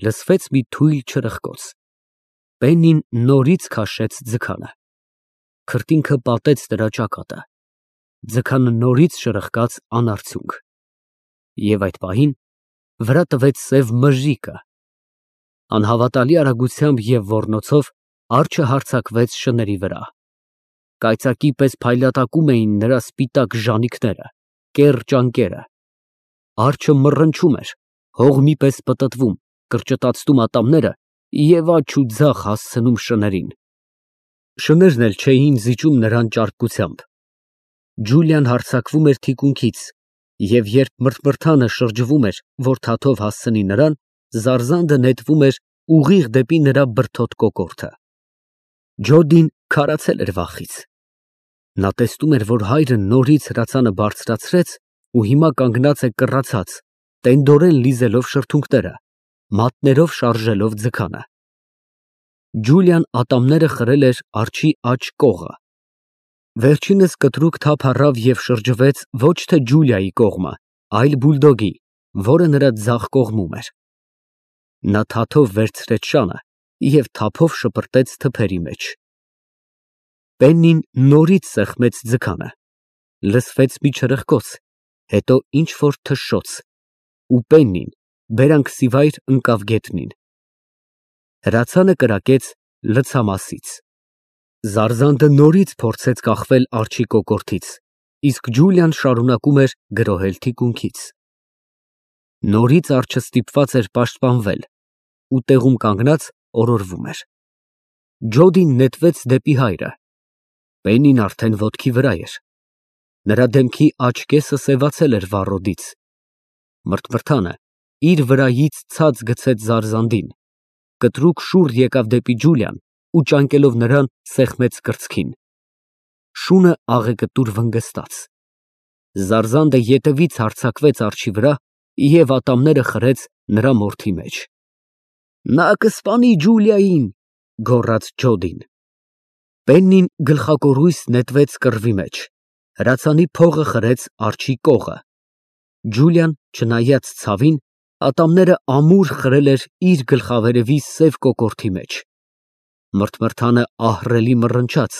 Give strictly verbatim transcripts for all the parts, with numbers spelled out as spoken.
Լսվեց մի թույլ չրպկոց։ Պեննին նորից քաշեց ձգանը։ Քրտինքը պատեց նրա ճակատը։ Ձգանը նորից շրխկաց անարդյունք։ Եվ այդ պահին վրա տվեց սև մժիկը։ Անհավատալի արագությամբ և ոռնոցով արջը հարձակվեց շների վրա։ Կայծակի պես փայլատակում էին նրա սպիտակ ժանիքները, կեռ ճանկերը։ Արջը մռնչում էր, հող մի պես պտտվում, կրճտացնում ատամները և աջ ու ձախ հասցնում շներին։ Շներն էլ չէին զիջում նրան ճարպկությամբ։ Ջուլիան հարձակվում էր թիկունքից, և երբ մրթմրթանը շրջվում էր, որ թաթով հասցնի նրան, զարզանդը նետվում էր ուղիղ դեպի նրա բրդոտ կոկորդը։ Ջոդին քարացել էր վախից։ Նա տեսնում էր, որ հայրը նորից հրացանը բարձրացրեց ու հիմա կանգնած է կռացած, տենդորեն լիզելով շրթունքները, մատներով շարժելով ձգանը։ Ջուլիան ատամները խրել էր արջի աջ կողը։ Վերջինս կտրուկ թափ առավ և շրջվեց ոչ թե Ջուլիայի կողմը, այլ բուլդոգի, որը նրա ձախ կողմում էր։ Նա թաթով վերցրեց շանը և թափով շպրտեց թփերի մեջ։ Պեննին նորից սեղմեց ձգանը։ Լսվեց մի չրպկոց, հետո ինչ֊որ թշշոց, ու Պեննին բերանքսիվայր ընկավ գետնին։ Հրացանը կրակեց լցամասից։ Զարզանդը նորից փորձեց կախվել արջի կոկորդից, իսկ Ջուլիան շարունակում էր գրոհել թիկունքից։ Նորից արջը ստիպված էր պաշտպանվել ու տեղում կանգնած օրորվում էր։ Ջոդին նետվեց դեպի հայրը։ Պեննին արդեն ոտքի վրա էր։ Նրա դեմքի աջ կեսը սևացել էր վառոդից։ Մրթմրթանը իր վրայից ցած գցեց զարզանդին, կտրուկ շուռ եկավ դեպի Ջուլիան ու ճանկելով նրան սեղմեց կրծքին։ Շունը աղեկտուր վնգստաց։ Զարզանդը ետևից հարձակվեց արջի վրա և ատամները խրեց նրա մորթի մեջ։ «Նա կսպանի Ջուլիային», ֊ գոռաց Ջոդին։ Պեննին գլխակորույս նետվեց կռվի մեջ, հրացանի փողը խրեց արջի կողը։ Ջուլիան, չնայած ցավին, ատամները ամուր խրել էր իր գլխավերևի սև կոկորդի մեջ։ Մրթմրթանը ահռելի մռնչաց,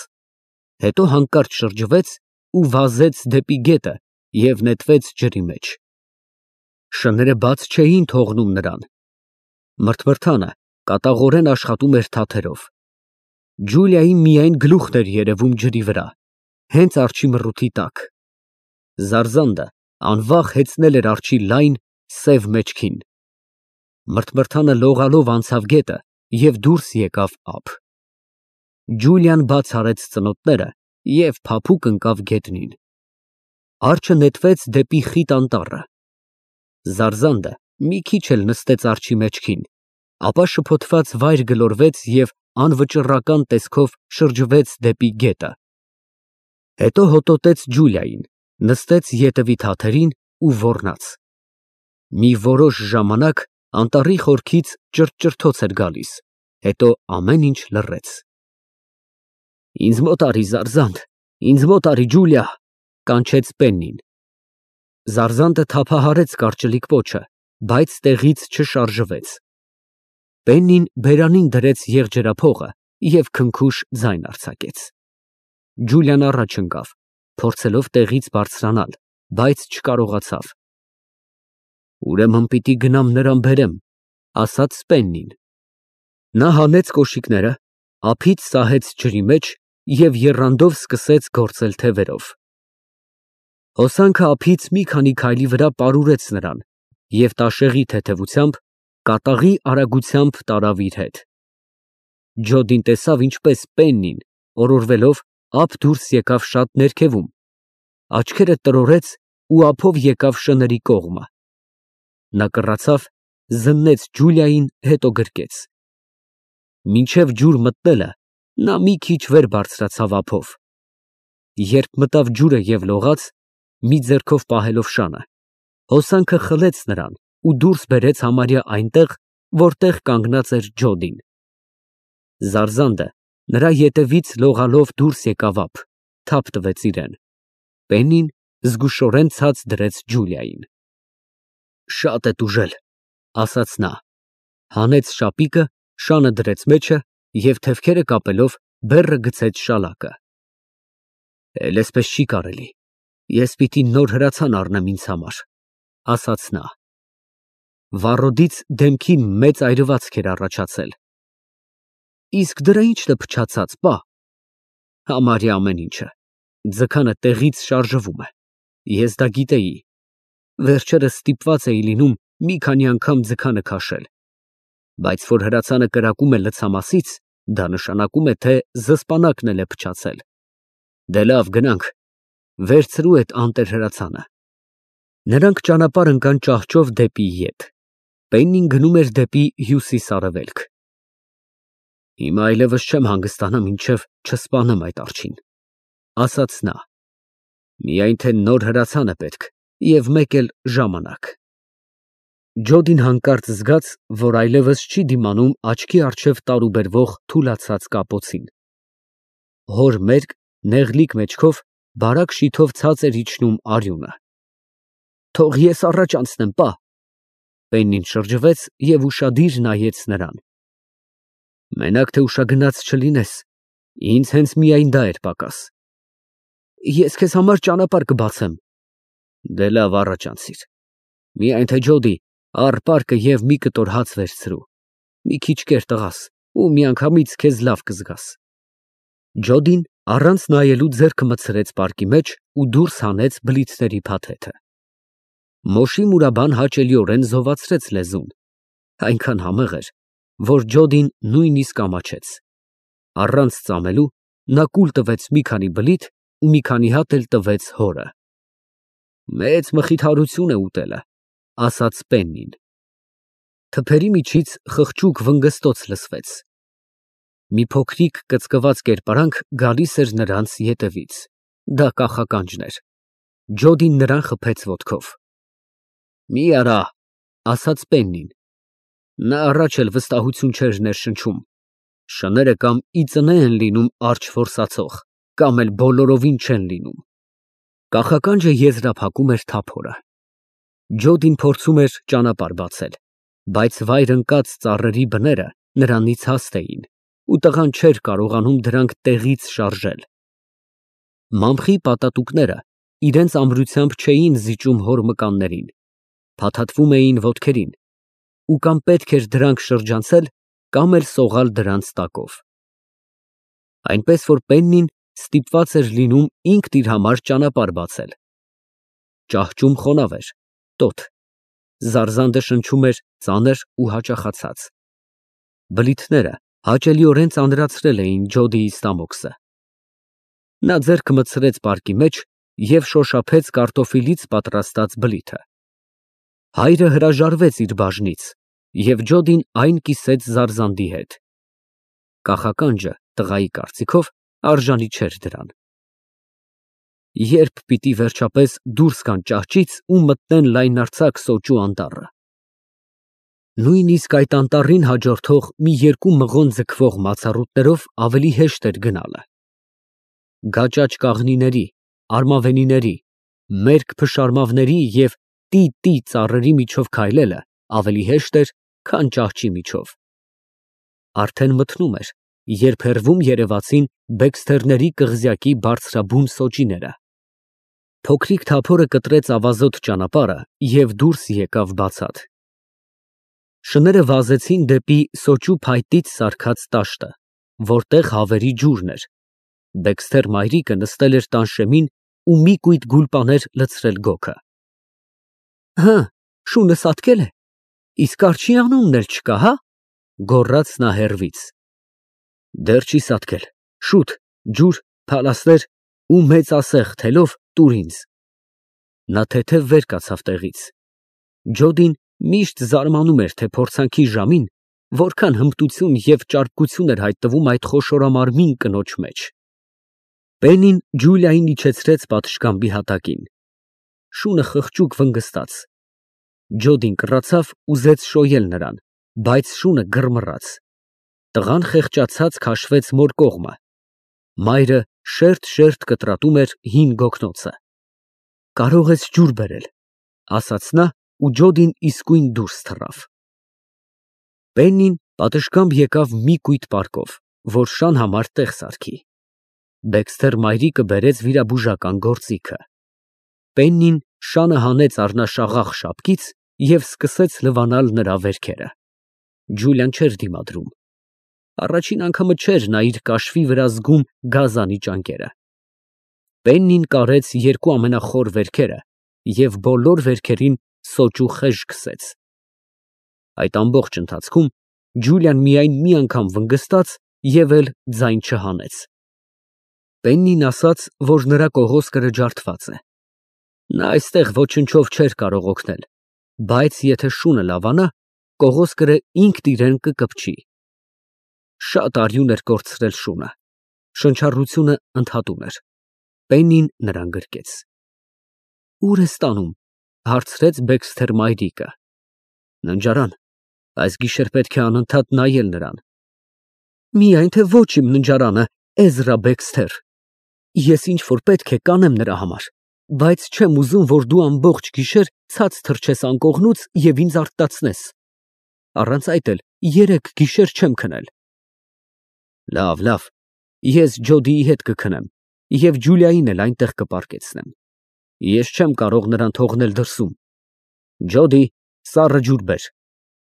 հետո հանկարծ շրջվեց ու վազեց դեպի գետը և նետվեց ջրի մեջ։ Շները բաց չէին թողնում նրան։ Մրթմրթանը կատաղորեն աշխատում էր թաթերով։ Ջուլիային միայն գլուխն էր երևում ջրի վրա, հենց արջի մռութի տակ։ Զարզանդը անվախ հեծնել էր արջի լայն, սև մեջքին։ Մրթմրթանը լողալով անցավ գետը և դուրս եկավ ափ։ Ջուլիան բաց արեց ծնոտները և փափուկ ընկավ գետնին։ Արջը նետվեց դեպի խիտ անտառը։ Զարզանդը մի քիչ էլ նստեց արջի մեջքին, ապա շփոթված վայր գլորվեց և անվճռական տեսքով շրջվեց դեպի գետը։ Հետո հոտոտեց Ջուլիային, նստեց ետևի թաթերին ու ոռնաց։ Մի որոշ ժամանակ անտառի խորքից ճրթճրթոց էր գալիս, հետո ամեն ինչ լռեց։ «Ինձ մոտ արի, Զարզանդ, ինձ մոտ արի, Ջուլիա», ֊ կանչեց Պեննին։ Զարզանդը թափահարեց կարճլիկ պոչը, բայց տեղից չշարժվեց։ Պեննին բերանին դրեց եղջերափողը և քնքուշ ձայն արձակեց։ Ջուլիան առաջ ընկավ, փորձելով տեղից բարձրանալ, բայց չկարողացավ։ «Ուրեմն պիտի գնամ նրան բերեմ», ֊ ասաց Պեննին։ Նա հանեց կոշիկները, ափից սահեց ջրի մեջ և եռանդով սկսեց գործել թևերով։ Հոսանքը ափից մի քանի քայլի վրա պարուրեց նրան, և տաշեղի թեթևությամբ, կատաղի արագությամբ տարավ իր հետ։ Ջոդին տեսավ, ինչպես Պեննին, օրորվելով, ափ դուրս եկավ շատ ներքևում, աչքերը տրորեց ու ափով եկավ շների կողմը։ Նա կռացավ, զննեց Ջուլիային, հետո գրկեց։ Մինչև ջուր մտնելը նա մի քիչ վեր բարձրացավ ափով։ Երբ մտավ ջուրը և լողաց, մի ձեռքով պահելով շանը, հոսանքը խլեց նրան ու դուրս բերեց համարյա այնտեղ, որտեղ կանգնած էր Ջոդին։ Զարզանդը նրա ետևից լողալով դուրս եկավ ափ, թափ տվեց իրան։ Պեննին զգուշորեն ցած դրեց Ջուլիային։ «Շատ է տուժել», ֊ ասաց նա։ Հանեց շապիկը, շանը դրեց մեջը և թևքերը կապելով բեռը գցեց շալակը։ Էլ էսպես չի կարելի, ես պիտի նոր հրացան առնեմ ինձ համար, ասաց նա։ Վառոդից դեմքին մեծ այրվածք էր առաջացել։ Իսկ դրա ի՞նչն է փչացած, պա։ Համարյա ամեն ինչը, ձգանը տեղից շարժվում է, ես դա գիտեի, վերջերս ստիպված էի լինում մի քանի անգամ ձգանը քաշել, բայց որ հրացանը կրակում է լցամասից, դա նշանակում է, թե զսպանակն էլ է փչացել։ Դե լավ, գնանք, վերցրու էդ անտեր հրացանը։ Նրանք ճանապարհ ընկան ճահճով դեպի ետ։ Պեննին գնում էր դեպի հյուսիս֊արևելք։ Հիմա այլևս չեմ հանգստանա, մինչև չսպանեմ այդ արջին, ասաց նա։ Միայն թե նոր հրացան է պետք և մեկ էլ ժամանակ։ Ջոդին հանկարծ զգաց, որ այլևս չի դիմանում աչքի առջև տարուբերվող թուլացած կապոցին։ Հոր մերկ, նեղլիկ մեջքով բարակ շիթով ցած էր իջնում արյունը։ Թող ես առաջ անցնեմ, պա։ Պեննին շրջվեց և ուշադիր նայեց նրան։ Մենակ թե ուշագնաց չլինես, ինձ հենց միայն դա էր պակաս։ Ես քեզ համար ճանապարհ կբացեմ։ Դե լավ, առաջ անցիր։ Միայն թե Ջոդի, առ պարկը և մի կտոր հաց վերցրու։ Մի քիչ կեր, տղաս, ու միանգամից քեզ լավ կզգաս։ Ջոդին առանց նայելու ձեռքը մտցրեց պարկի մեջ ու դուրս հանեց բլիթների փաթեթը։ Մոշի մուրաբան հաճելիորեն զովացրեց լեզուն, այնքան համեղ էր, որ Ջոդին նույնիսկ ամաչեց։ Առանց ծամելու նա կուլ տվեց մի քանի բլիթ ու մի քանի հատ էլ տվեց հորը։ Մեծ մխիթարություն է ուտելը, ասաց Պեննին։ Թփերի միջից խղճուկ վնգստոց լսվեց։ Մի փոքրիկ կծկված կերպարանք գալիս էր նրանց ետևից, դա կախականջն էր։ Ջոդին նրան խփեց ոտքով։ Մի արա, ասաց Պեննին։ Նա առաջ էլ վստահություն չէր ներշնչում։ Շները կամ ի ծնե են լինում արջը որսացող, կամ էլ բոլորովին չեն լինում։ Կախականջը եզրափակում էր թափորը։ Ջոդին փորձում էր ճանապարհ բացել, բայց վայր ընկած ծառերի բները նրանից հաստ էին, ու տղան չէր կարողանում դրանք տեղից շարժել։ Մամխի պատատուկները իրենց ամրությամբ չէին զիջում հոր մկաններին, փաթաթվում էին ոտքերին, ու կամ պետք էր դրանք շրջանցել, կամ էլ սողալ դրանց տակով։ Այնպես որ Պեննին ստիպված էր լինում ինքն իր համար ճանապարհ բացել։ Ճահճում խոնավ էր, տոտ, զարզանդը շնչում էր ծանր ու հաճախացած։ Բլիթները հաճելիորեն ծանրացրել էին Ջոդիի ստամոքսը։ Նա ձեռքը մտցրեց պարկի մեջ և շոշափեց կարտոֆիլից պատրաստած բլիթը։ Հայրը հրաժարվեց իր բաժնից, և Ջոդին այն կիսեց զարզանդի հետ։ Կախականջը, տղայի կարծիքով, արժանի չէր դրան։ Երբ պիտի վերջապես դուրս գան ճահճից ու մտնեն լայնարձակ սոճու անտառը։ Նույնիսկ այդ անտառին հաջորդող մի երկու մղոն ձգվող մացառուտներով ավելի հեշտ էր գնալը։ Գաճաճ կաղնիների, արմավենիների, մերկ փշարմավների և տի֊տի ծառերի միջով քայլելը ավելի հեշտ էր, քան ճահճի միջով։ Արդեն մթնում էր, երբ հեռվում երևացին բեքսթերների կղզյակի բարձրաբուն սոճիները։ Փոքրիկ թափորը կտրեց ավազոտ ճանապարհը և դուրս եկավ բացատ։ Շները վազեցին դեպի սոճու փայտից սարքած տաշտը, որտեղ հավերի ջուրն էր։ Բեքսթեր մայրիկը նստել էր տանշեմին ու մի կույտ գուլպաներ լցրել գոգը։ Հը, շունը սատկել է, իսկ արջի անունն էլ չկա, հա, գոռաց նա հեռվից։ Դեռ չի սատկել, շուտ, ջուր, փալասներ ու մեծ ասեղ թելով տուր ինձ։ Նա թեթև վեր կացավ տեղից։ Ջոդին միշտ զարմանում էր, թե փորձանքի ժամին որքան հմտություն և ճարպկություն էր հայտնվում այդ խոշորամարմին կնոջ մեջ։ Պեննին Ջուլիային իջեցրեց պատշգամբի հատակին։ Շունը խղճուկ վնգստաց։ Ջոդին կռացավ, ուզեց շոյել նրան, բայց շունը գրմռաց։ Տղան խեղճացած քաշվեց մոր կողմը։ Մայրը շերտ֊շերտ կտրատում էր հին գոգնոցը։ Կարող ես ջուր բերել, ասաց նա, ու Ջոդին իսկույն դուրս թռավ։ Պեննին պատշգամբ եկավ մի կույտ պարկով, որ շան համար տեղ սարքի։ Դեքսթեր մայրիկը բերեց վիրաբուժական գործիքը։ Պեննին շանը հանեց առնաշաղախ շապկից և սկսեց լվանալ նրա վերքերը։ Ջուլիան չէր դիմադրում։ Առաջին անգամը չէր նա իր կաշվի վրա զգում գազանի ճանկերը։ Պեննին կարեց երկու ամենախոր վերքերը և բոլոր վերքերին սոճու խեժ քսեց։ Այդ ամբողջ ընթացքում Ջուլիան միայն մի անգամ վնգստաց և էլ ձայն չհանեց։ Պեննին ասաց, որ նրա կողոսկրը ջարդված է։ Նա այստեղ ոչնչով չէր կարող օգնել, բայց եթե շունը լավանա, կողոսկրը ինքն իրան կկպչի։ Շատ արյուն էր կորցրել շունը, շնչառությունը ընդհատում էր։ Պեննին նրան գրկեց։ Ո՞ւր ես տանում, հարցրեց Բեքսթեր մայրիկը։ Ննջարան, այս գիշեր պետք է անընդհատ նայել նրան։ Միայն թե ոչ իմ ննջարանը, Էզրա Բեքսթեր։ Ես ինչ որ պետք է կանեմ նրա համար, բայց չեմ ուզում, որ դու ամբողջ գիշեր ցած թռչես անկողնուց և ինձ արթնացնես։ Առանց այդ էլ երեք գիշեր չեմ քնել։ Լավ, լավ, ես Ջոդիի հետ կքնեմ և Ջուլիային էլ այնտեղ կպարկեցնեմ։ Ես չեմ կարող նրան թողնել դրսում։ Ջոդի, սառը ջուր բեր,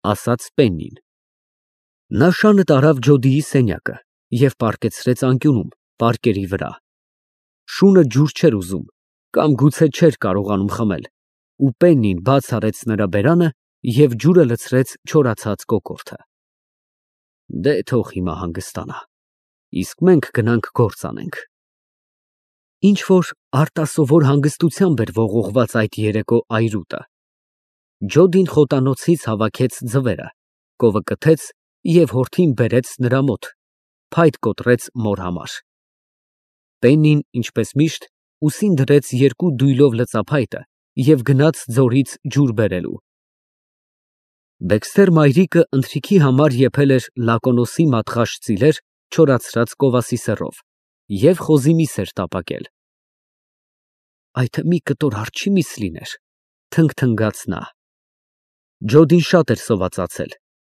ասաց Պեննին։ Նա շանը տարավ Ջոդիի սենյակը և պառկեցրեց անկյունում, պարկերի վրա։ Շունը ջուր չէր ուզում, կամ գուցե չէր կարողանում խմել, ու Պեննին բաց արեց նրա բերանը և ջուրը լցրեց չորացած կոկորդը։ Դե թող հիմա հանգստանա, իսկ մենք գնանք գործ անենք։ Ինչ որ արտասովոր հանգստությամբ էր ողողված այդ երեկո այրուտը։ Ջոդին խոտանոցից հավաքեց ձվերը, կովը կթեց և հորթին բերեց նրա մոտ, փայտ կոտրեց մոր համար։ Պեննին, ինչպես միշտ, ուսին դրեց երկու դույլով լծափայտը և գնաց ձորից ջուր բերելու։ Բեքսթեր մայրիկը ընթրիքի համար եփել էր լակոնոսի մատղաշ ծիլեր չորացրած կովասի սեռով և խոզի միս էր տապակել։ Այդ մի կտոր արջի միս լիներ, թնգթնգաց նա։ Ջոդին շատ էր սովածացել,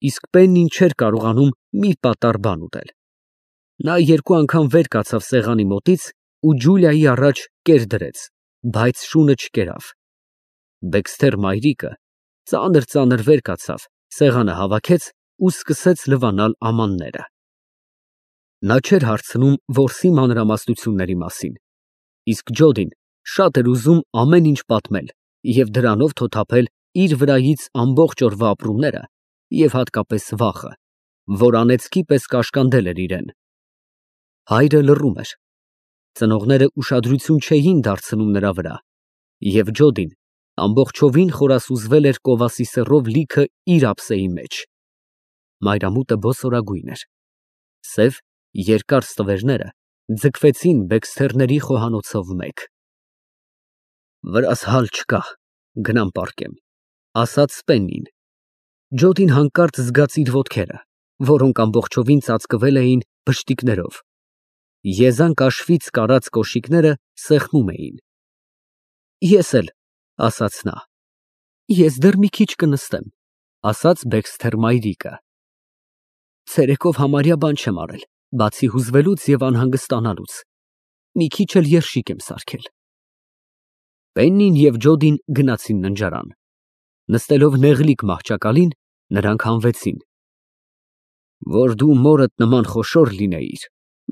իսկ Պեննին չէր կարողանում մի պատառ բան ուտել։ Նա երկու անգամ վեր կացավ սեղանի մոտից ու Ջուլիայի առաջ կեր դրեց, բայց շունը չկերավ։ Բեքսթեր մայրիկը ծանր֊ծանր վեր կացավ, սեղանը հավաքեց ու սկսեց լվանալ ամանները։ Նա չէր հարցնում որսի մանրամասնությունների մասին, իսկ Ջոդին շատ էր ուզում ամեն ինչ պատմել և դրանով թոթափել իր վրայից ամբողջ օրվա ապրումները և հատկապես վախը, որ անեծքի պես կաշկանդել էր իրան։ Հայրը լռում էր։ Ծնողները ուշադրություն չէին դարձնում նրա վրա, և Ջոդին ամբողջովին խորասուզվել էր կովասի սեռով լիքը իր ափսեի մեջ։ Մայրամուտը բոսորագույն էր։ Սև, երկար ստվերները ձգվեցին Բեքսթերների խոհանոցով մեկ։ Վրաս հալ չկա, գնամ պառկեմ, ասաց Պեննին։ Ջոդին հանկարծ զգաց իր ոտքերը, որոնք ամբողջովին ծածկվել էին բշտիկներով։ Եզան կաշվից կարած կոշիկները սեղմում էին։ Ես էլ, ասաց նա։ Ես դեռ մի քիչ կնստեմ, ասաց Բեքսթեր մայրիկը։ Ցերեկով համարյա բան չեմ արել, բացի հուզվելուց և անհանգստանալուց։ Մի քիչ էլ երշիկ եմ սարքել։ Պեննին և Ջոդին գնացին ննջարան։ Նստելով նեղլիկ մահճակալին, նրանք հանվեցին։ Որ դու մորդ նման խոշոր լինեիր,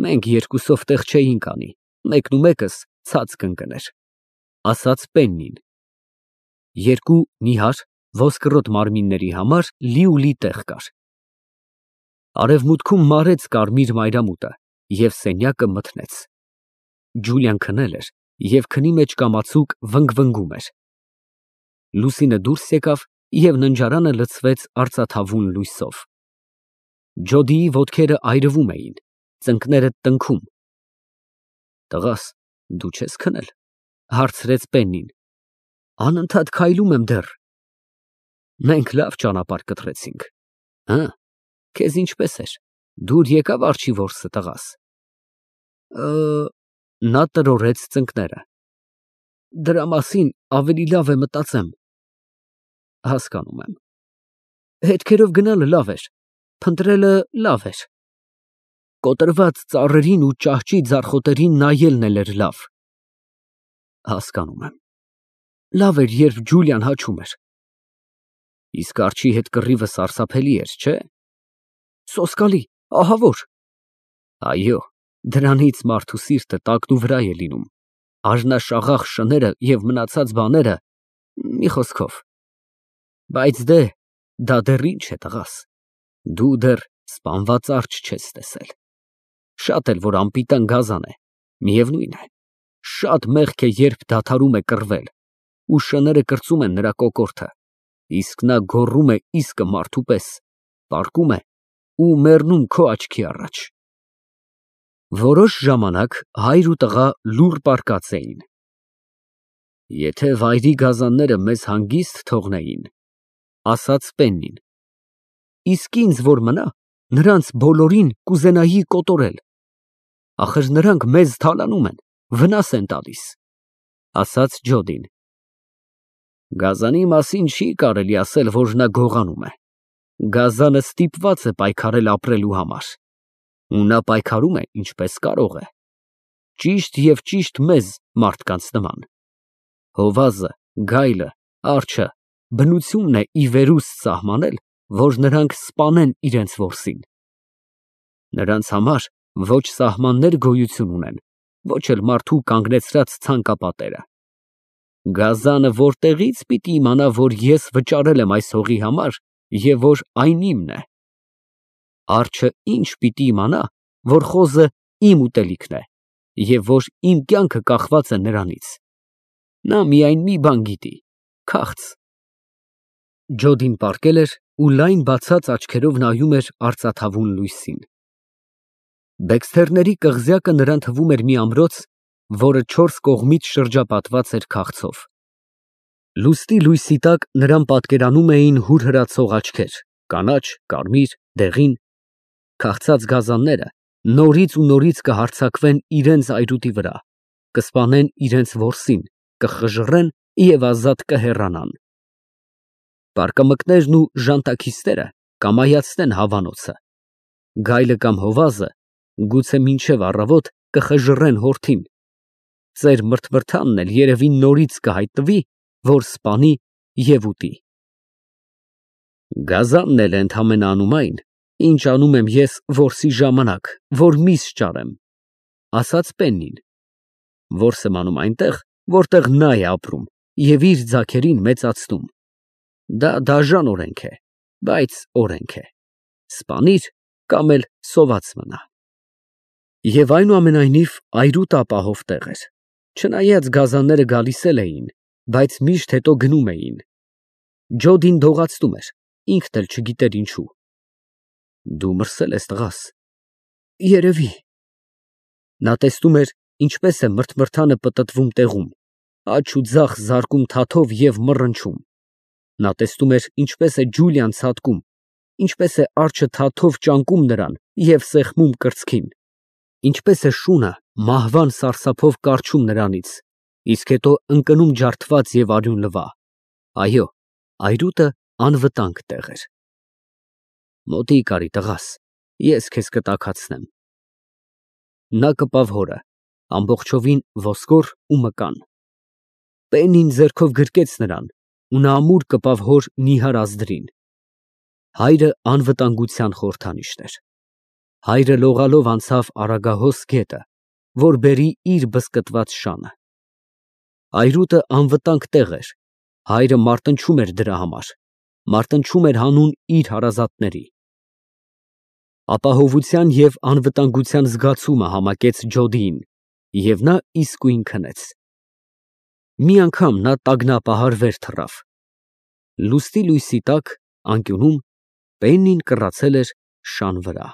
մենք երկուսով տեղ չէինք անի, մեկնումեկս ցած կընկներ, ասաց Պեննին։ Երկու նիհար, ոսկրոտ մարմինների համար լիուլի տեղ կար։ Արևմուտքում մարեց կարմիր մայրամուտը և սենյակը մթնեց։ Ջուլիան քնել էր և քնի մեջ կամացուկ վնգվնգում էր։ Լուսինը դուրս եկավ և ննջարանը լցվեց արծաթավուն լույսով։ Ջոդիի ոտքերը այրվում էին, ծնկները տնքում։ Տղաս, դու չե՞ս քնել, հարցրեց Պեննին։ Անընդհատ քայլում եմ դեռ։ Մենք լավ ճանապարհ կտրեցինք։ Հը, քեզ ինչպես էր, դուր եկավ արջի որսը, տղաս։ Նա տրորեց ծնկները։ Դրա մասին ավելի լավ է մտածեմ։ Հասկանում եմ։ Հետքերով գնալը լավ էր, Փնտրելը լավ էր։ Կոտրված ծառերին ու ճահճի ձարխոտերին նայելն էլ էր լավ։ Հասկանում եմ։ Լավ էր, երբ Ջուլիան հաչում էր։ Իսկ արջի հետ կռիվը սարսափելի էր, չէ՞։ Սոսկալի, ահավոր։ Այո, դրանից մարդու սիրտը տակնուվրա է լինում, արժանաշաղախ շները և մնացած բաները, մի խոսքով։ Բայց դե, դա դեռ ինչ է, տղաս, դու դեռ սպանված արջ չես տեսել։ Շատ էլ որ անպիտան գազան է, միևնույն է, շատ մեղք է, երբ դադարում է կռվել, ու շները կրծում են նրա կոկորդը, իսկ նա գոռում է իսկը մարդու պես, պառկում է ու մեռնում քո աչքի առաջ։ Որոշ ժամանակ հայր ու տղա լուռ պառկած էին։ Եթե վայրի գազանները մեզ հանգիստ թողնեին, ասաց Պեննին, իսկ ինձ որ մնա, նրանց բոլորին կուզենայի կոտորել։ Ախր նրանք մեզ թալանում են, վնաս են տալիս, ասաց Ջոդին։ Գազանի մասին չի կարելի ասել, որ նա գողանում է։ Գազանը ստիպված է պայքարել ապրելու համար, ու նա պայքարում է ինչպես կարող է, ճիշտ և ճիշտ մեզ մարդկանց նման։ Հովազը, գայլը, արջը բնությունն է ի վերուստ սահմանել, որ նրանք սպանեն իրենց որսին։ Նրանց համար ոչ սահմաններ գոյություն ունեն, ոչ էլ մարդու կանգնեցրած ցանկապատերը։ Գազանը որտեղի՞ց պիտի իմանա, որ ես վճարել եմ այս հողի համար և որ այն իմն է։ Արջը ի՞նչ պիտի իմանա, որ խոզը իմ ուտելիքն է և որ իմ կյանքը կախված է նրանից։ Նա միայն մի բան գիտի՝ քաղց։ Ջոդին պառկել էր ու լայն բացած աչքերով նայում էր արծաթավուն լույսին։ Բեքսթերների կղզյակը նրան թվում էր մի ամրոց, որը չորս կողմից շրջապատված էր քաղցով։ Լուսնի լույսի տակ նրան պատկերանում էին հուրհրացող աչքեր, կանաչ, կարմիր, դեղին։ Քաղցած գազանները նորից ու նորից կհարձակվեն իրենց այրուտի վրա, կսպանեն իրենց որսին, կխժռեն և ազատ կհեռանան։ Պարկամկներն ու ժանտաքիստերը կամայացնեն հավանոցը։ Գայլը կամ հովազը գուցե մինչև առավոտ կխժռեն հորթին։ Ծեր մրթմրթանն էլ երևի նորից կհայտնվի, որ սպանի և ուտի։ Գազանն էլ ընդամենը անում այն, ինչ անում եմ ես որսի ժամանակ, որ միս ճարեմ, ասաց Պեննին։ Որս եմ անում այնտեղ, որտեղ նա է ապրում և իր ձագերին մեծացնում։ Դա դաժան օրենք է, բայց օրենք է։ Սպանիր կամ էլ սոված մնա։ Եվ այնուամենայնիվ այրուտ ապահով տեղ էր, չնայած գազանները գալիս էլ էին, բայց միշտ հետո գնում էին։ Ջոդին դողացնում էր, ինքն էլ չգիտեր ինչու։ Դու մրսել ես, տղաս։ Երևի։ Նա տեսնում էր, ինչպես է մրթմրթանը պտտվում տեղում, աջ ու ձախ զարկում թաթով և մռնչում։ Նա տեսնում էր, ինչպես է Ջուլիան ցատկում, ինչպես է արջը թաթով ճանկում նրան և սեղմում կրծքին, ինչպես է շունը մահվան սարսափով կառչում նրանից, իսկ հետո ընկնում ջարդված և արյունլվա։ Այո, այրուտը անվտանգ տեղ էր։ Մոտիկ արի, տղաս, ես քեզ կտաքացնեմ։ Նա կպավ հորը, ամբողջովին ոսկոր ու մկան։ Պեննին ձեռքով գրկեց նրան, ու նա ամուր կպավ հոր նիհար ազդրին։ Հայրը անվտանգության խորհրդանիշն էր։ Հայրը լողալով անցավ Արագահոս գետը, որ բերի իր բզկտված շանը։ Այրուտը անվտանգ տեղ էր, հայրը մարտնչում էր դրա համար, մարտնչում էր հանուն իր հարազատների։ Ապահովության և անվտանգության զգացումը համակեց Ջոդիին, և նա իսկույն քնեց։ Մի անգամ նա տագնապահար վեր թռավ։ Լուսնի լույսի տակ, անկյունում, Պեննին կռացել էր շան վրա։